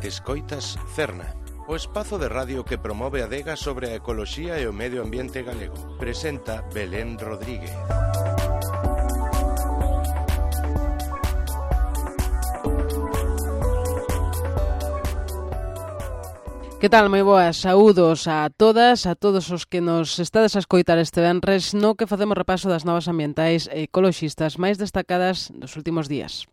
Escoitas Cerna, o espazo de radio que promove a adega sobre a ecoloxía e o medio ambiente galego. Presenta Belén Rodríguez. Que tal, moi boas, saúdos a todas, a todos os que nos estades a escoitar este venres no que facemos repaso das novas ambientais e ecoloxistas máis destacadas dos últimos días.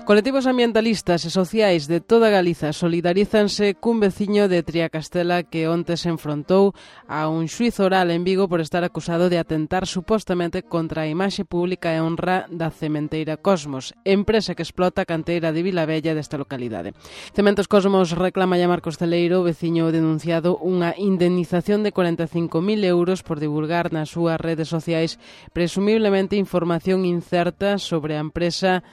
Colectivos ambientalistas e sociais de toda Galiza solidarízanse cun veciño de Triacastela que onte se enfrontou a un xuízo oral en Vigo por estar acusado de atentar supostamente contra a imaxe pública e honra da cementeira Cosmos, empresa que explota a canteira de Vilabella desta localidade. Cementos Cosmos reclama a Marcos Celeiro, veciño denunciado, unha indemnización de 45.000 euros por divulgar nas súas redes sociais presumiblemente información incerta sobre a empresa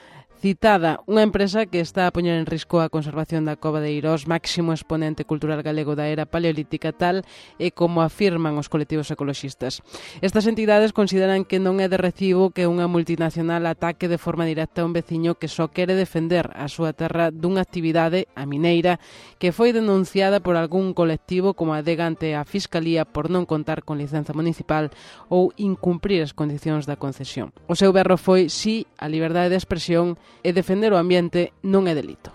citada, unha empresa que está a poñer en risco a conservación da Cova de Eirós, máximo exponente cultural galego da era paleolítica, tal e como afirman os colectivos ecoloxistas. Estas entidades consideran que non é de recibo que unha multinacional ataque de forma directa a un veciño que só quere defender a súa terra dunha actividade, a mineira, que foi denunciada por algún colectivo como adega ante a Fiscalía por non contar con licenza municipal ou incumprir as condicións da concesión. O seu berro foi si a liberdade de expresión e defender o ambiente non é delito.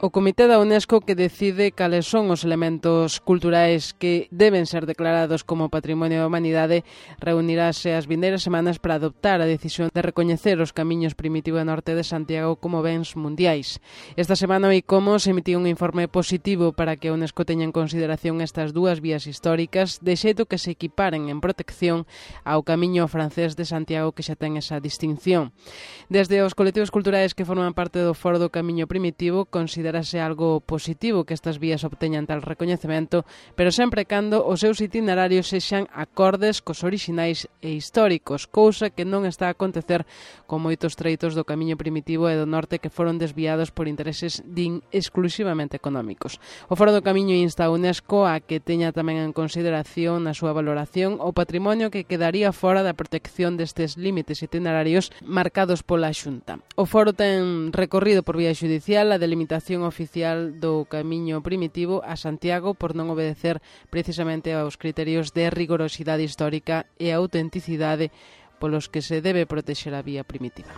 O Comité da UNESCO, que decide cales son os elementos culturais que deben ser declarados como Patrimonio da Humanidade, reunirase as vindeiras semanas para adoptar a decisión de recoñecer os camiños primitivo e norte de Santiago como bens mundiais. Esta semana o ICOMOS emitiu un informe positivo para que a UNESCO teña en consideración estas dúas vías históricas, de xeito que se equiparen en protección ao camiño francés de Santiago, que xa ten esa distinción. Desde os colectivos culturais que forman parte do Foro do Camiño Primitivo, considerase algo positivo que estas vías obteñan tal recoñecemento, pero sempre cando os seus itinerarios sexan acordes cos orixinais e históricos, cousa que non está a acontecer con moitos treitos do Camiño Primitivo e do Norte que foron desviados por intereses exclusivamente económicos. O Foro do Camiño insta a UNESCO a que teña tamén en consideración na súa valoración o patrimonio que quedaría fora da protección destes límites itinerarios marcados pola Xunta. O Foro ten recorrido por vía xudicial a delimitación oficial do Camiño Primitivo a Santiago por non obedecer precisamente aos criterios de rigorosidade histórica e autenticidade polos que se debe protexer a vía primitiva.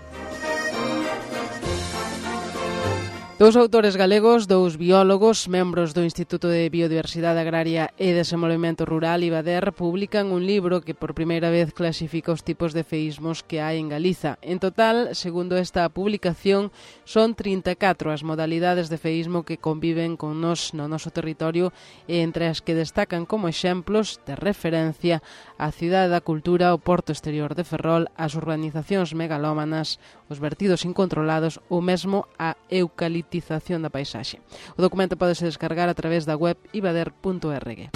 Dous autores galegos, dous biólogos, membros do Instituto de Biodiversidade Agraria e Desenvolvemento Rural, IBADER, publican un libro que por primeira vez clasifica os tipos de feísmos que hai en Galiza. En total, segundo esta publicación, son 34 as modalidades de feísmo que conviven con nós no noso territorio e entre as que destacan como exemplos de referencia a Cidade da Cultura, o Porto Exterior de Ferrol, as urbanizacións megalómanas, os vertidos incontrolados ou mesmo a eucaliptización da paisaxe. O documento pódese descargar a través da web ibader.org.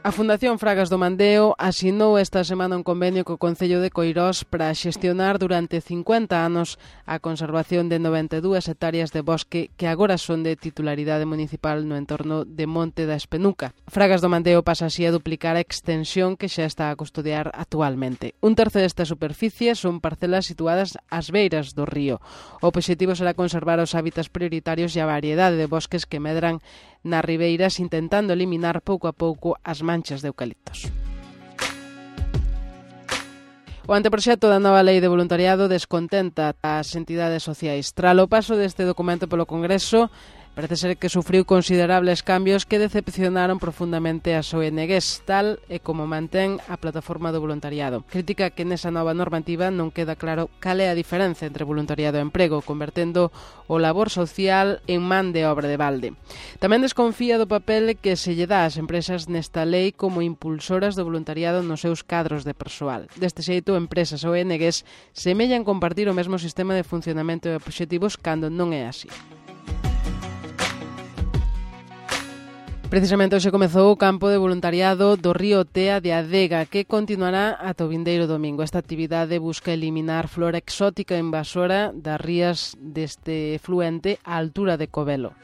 A Fundación Fragas do Mandeo asinou esta semana un convenio co Concello de Coirós para xestionar durante 50 anos a conservación de 92 hectáreas de bosque que agora son de titularidade municipal no entorno de Monte da Espenuca. Fragas do Mandeo pasa así a duplicar a extensión que xa está a custodiar actualmente. Un terzo desta superficie son parcelas situadas ás beiras do río. O obxectivo será conservar os hábitats prioritarios e a variedade de bosques que medran nas ribeiras, intentando eliminar pouco a pouco as manchas de eucaliptos. O anteproxecto da nova lei de voluntariado descontenta as entidades sociais. Tras o paso deste documento polo Congreso, parece ser que sufriu considerables cambios que decepcionaron profundamente as ONGs, tal e como mantén a plataforma do voluntariado. Critica que nesa nova normativa non queda claro cal é a diferenza entre voluntariado e emprego, convertendo o labor social en man de obra de balde. Tamén desconfía do papel que se lle dá ás empresas nesta lei como impulsoras do voluntariado nos seus cadros de persoal. Deste xeito, empresas ou ONGs semellan compartir o mesmo sistema de funcionamento e obxectivos cando non é así. Precisamente hoxe comezou o campo de voluntariado do Río Tea de Adega, que continuará ata o vindeiro domingo. Esta actividade busca eliminar flora exótica invasora das rías deste fluente á altura de Covelo.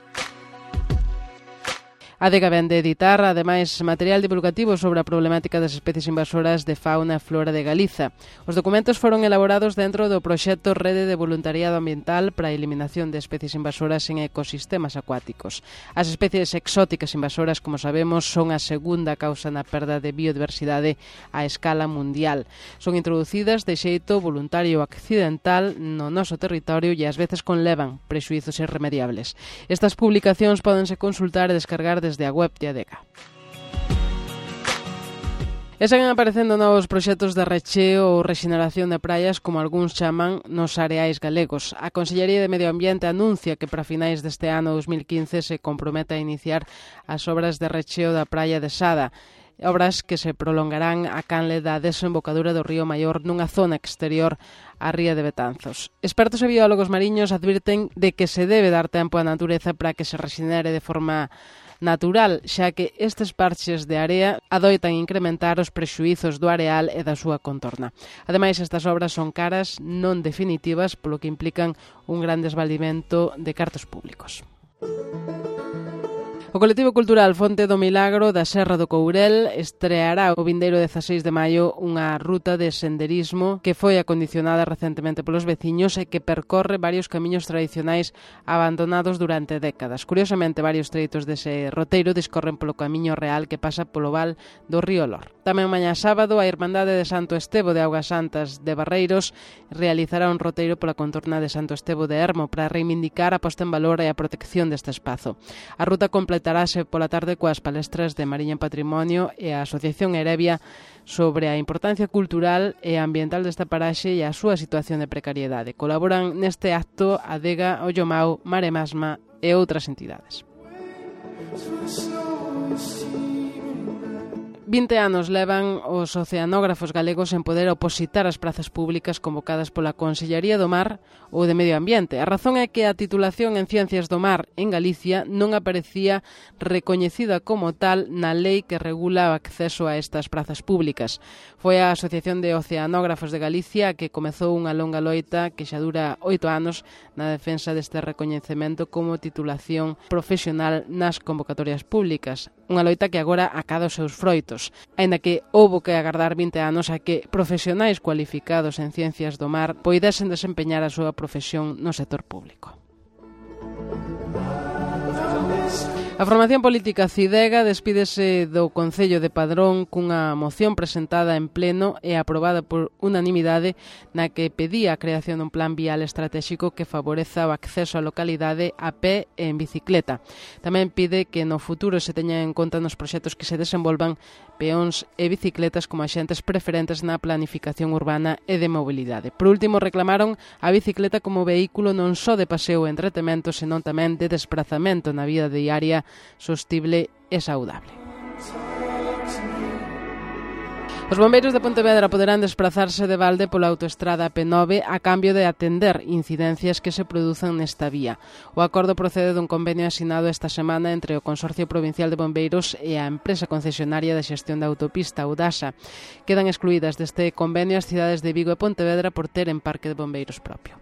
A Adega vén de editar, ademais, material divulgativo sobre a problemática das especies invasoras de fauna e flora de Galiza. Os documentos foron elaborados dentro do proxecto Rede de Voluntariado Ambiental para a Eliminación de Especies Invasoras en Ecosistemas Acuáticos. As especies exóticas invasoras, como sabemos, son a segunda causa na perda de biodiversidade a escala mundial. Son introducidas de xeito voluntario ou accidental no noso territorio e ás veces conlevan prexuízos irremediables. Estas publicacións pódense consultar e descargar desde a web de Adega. E seguen aparecendo novos proxectos de recheo ou rexeneración de praias, como algúns chaman, nos areais galegos. A Consellería de Medio Ambiente anuncia que para finais deste ano 2015 se compromete a iniciar as obras de recheo da praia de Sada, obras que se prolongarán a canle da desembocadura do río Maior nunha zona exterior á ría de Betanzos. Expertos e biólogos mariños advirten de que se debe dar tempo á natureza para que se rexenere de forma natural, xa que estes parches de area adoitan incrementar os prexuízos do areal e da súa contorna. Ademais, estas obras son caras, non definitivas, polo que implican un gran desvaldimento de cartos públicos. O colectivo cultural Fonte do Milagro da Serra do Courel estreará o vindeiro 16 de maio unha ruta de senderismo que foi acondicionada recentemente polos veciños e que percorre varios camiños tradicionais abandonados durante décadas. Curiosamente, varios treitos dese roteiro discorren polo camiño real que pasa polo val do río Lor. Tamén mañá sábado, a Irmandade de Santo Estevo de Augas Santas de Barreiros realizará un roteiro pola contorna de Santo Estevo de Ermo para reivindicar a posta en valor e a protección deste espazo. A ruta completarase pola tarde coas palestras de Mariña en Patrimonio e a Asociación Erevia sobre a importancia cultural e ambiental desta paraxe e a súa situación de precariedade. Colaboran neste acto Adega, Ollomao, Maremasma e outras entidades. 20 anos levan os oceanógrafos galegos en poder opositar as prazas públicas convocadas pola Consellería do Mar ou de Medio Ambiente. A razón é que a titulación en Ciencias do Mar en Galicia non aparecía recoñecida como tal na lei que regula o acceso a estas prazas públicas. Foi a Asociación de Oceanógrafos de Galicia que comezou unha longa loita que xa dura 8 anos na defensa deste recoñecemento como titulación profesional nas convocatorias públicas. Unha loita que agora acada os seus froitos, aínda que houbo que agardar 20 anos a que profesionais cualificados en ciencias do mar poidesen desempeñar a súa profesión no sector público. A formación política Cidega despídese do Concello de Padrón cunha moción presentada en pleno e aprobada por unanimidade na que pedía a creación dun plan vial estratégico que favoreza o acceso á localidade a pé e en bicicleta. Tamén pide que no futuro se teñan en conta nos proxectos que se desenvolvan peóns e bicicletas como axentes preferentes na planificación urbana e de mobilidade. Por último, reclamaron a bicicleta como vehículo non só de paseo e entretemento, senón tamén de desplazamento na vida diaria sostible e saudable. Os bombeiros de Pontevedra poderán desplazarse de balde pola autoestrada P9 a cambio de atender incidencias que se produzan nesta vía. O acordo procede dun convenio asinado esta semana entre o Consorcio Provincial de Bombeiros e a empresa concesionaria de xestión da autopista, Udasa. Quedan excluídas deste convenio as cidades de Vigo e Pontevedra por teren parque de bombeiros propio.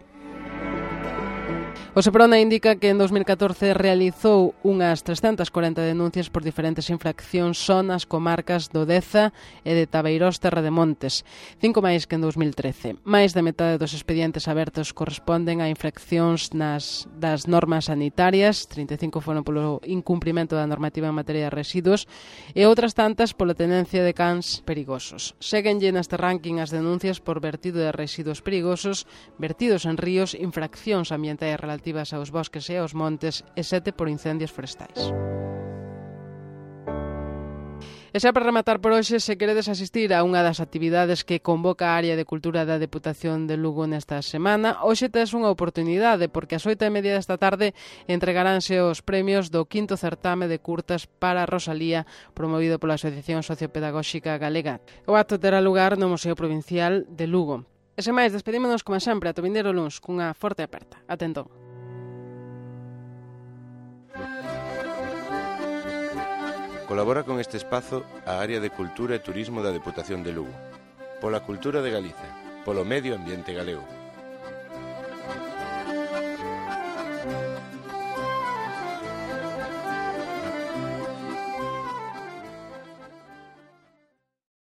O Seprona indica que en 2014 realizou unhas 340 denuncias por diferentes infraccións só nas comarcas do Deza e de Tabeirós Terra de Montes, 5 máis que en 2013. Máis da metade dos expedientes abertos corresponden a infraccións das normas sanitarias, 35 foron polo incumprimento da normativa en materia de residuos e outras tantas pola tenencia de cans perigosos. Séguenlle neste ranking as denuncias por vertido de residuos perigosos, vertidos en ríos, infraccións ambientais relativas aos bosques e aos montes e 7 por incendios forestais. E xa para rematar por hoxe, se queredes asistir a unha das actividades que convoca a Área de Cultura da Deputación de Lugo nesta semana, hoxe tes unha oportunidade, porque ás 8:30 desta tarde entregaránse os premios do 5º certame de curtas para Rosalía, promovido pola Asociación Sociopedagóxica Galega. O acto terá lugar no Museo Provincial de Lugo. E sen máis, despedímonos como sempre ata o vindeiro luns cunha forte aperta. Ata entón. Colabora con este espazo a Área de Cultura e Turismo da Deputación de Lugo, pola cultura de Galiza, polo medio ambiente galego.